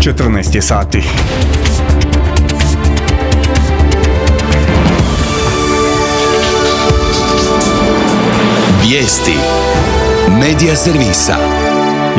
14 je sati. Vijesti Medija servisa.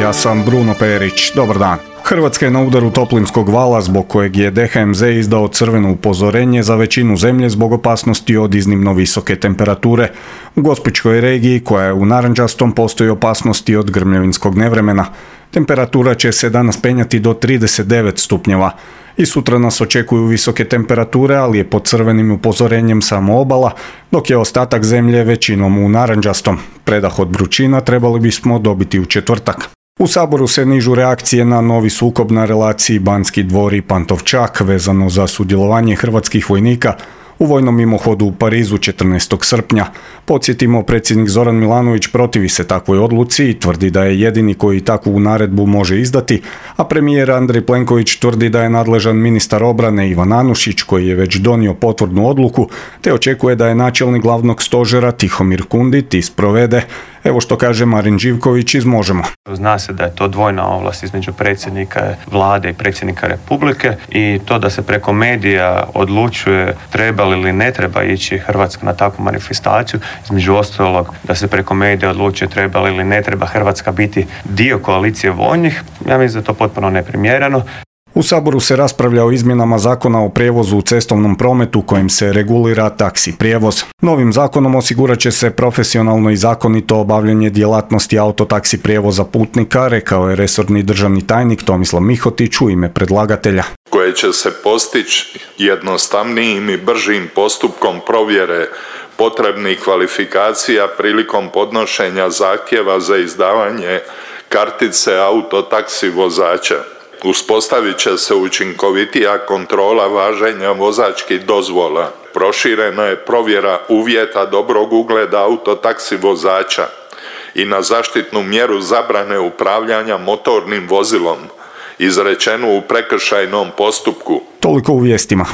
Ja sam Bruno Perić. Dobar dan. Hrvatska je na udaru toplinskog vala zbog kojeg je DHMZ izdao crveno upozorenje za većinu zemlje zbog opasnosti od iznimno visoke temperature. U Gospićkoj regiji, koja je u narančastom, postoji opasnosti od grmljavinskog nevremena. Temperatura će se danas penjati do 39 stupnjeva. I sutra nas očekuju visoke temperature, ali je pod crvenim upozorenjem samo obala, dok je ostatak zemlje većinom u narančastom. Predah od vrućina trebali bismo dobiti u četvrtak. U Saboru se nižu reakcije na novi sukob na relaciji Banski dvor i Pantovčak vezano za sudjelovanje hrvatskih vojnika u vojnom mimohodu u Parizu 14. srpnja. Podsjetimo, predsjednik Zoran Milanović protivi se takvoj odluci i tvrdi da je jedini koji takvu naredbu može izdati, a premijer Andrej Plenković tvrdi da je nadležan ministar obrane Ivan Anušić, koji je već donio potvrdnu odluku, te očekuje da je načelnik glavnog stožera Tihomir Kundit sprovede. Evo što kaže Marin Živković iz Možemo. Zna se da je to dvojna ovlast između predsjednika vlade i predsjednika Republike i to da se preko medija odlučuje treba li ili ne treba ići Hrvatska na takvu manifestaciju, između ostalog da se preko medija odlučuje treba li ili ne treba Hrvatska biti dio koalicije vojnih, ja mislim da je to potpuno neprimjereno. U Saboru se raspravlja o izmjenama zakona o prijevozu u cestovnom prometu kojim se regulira taksi prijevoz. Novim zakonom osigurat će se profesionalno i zakonito obavljanje djelatnosti autotaksi prijevoza putnika, rekao je resorni državni tajnik Tomislav Mihotić u ime predlagatelja. Koje će se postići jednostavnijim i bržim postupkom provjere potrebnih kvalifikacija prilikom podnošenja zahtjeva za izdavanje kartice autotaksi vozača. Uspostavit će se učinkovitija kontrola važenja vozačkih dozvola. Proširena je provjera uvjeta dobrog ugleda autotaksi vozača i na zaštitnu mjeru zabrane upravljanja motornim vozilom, izrečenu u prekršajnom postupku. Toliko u vijestima.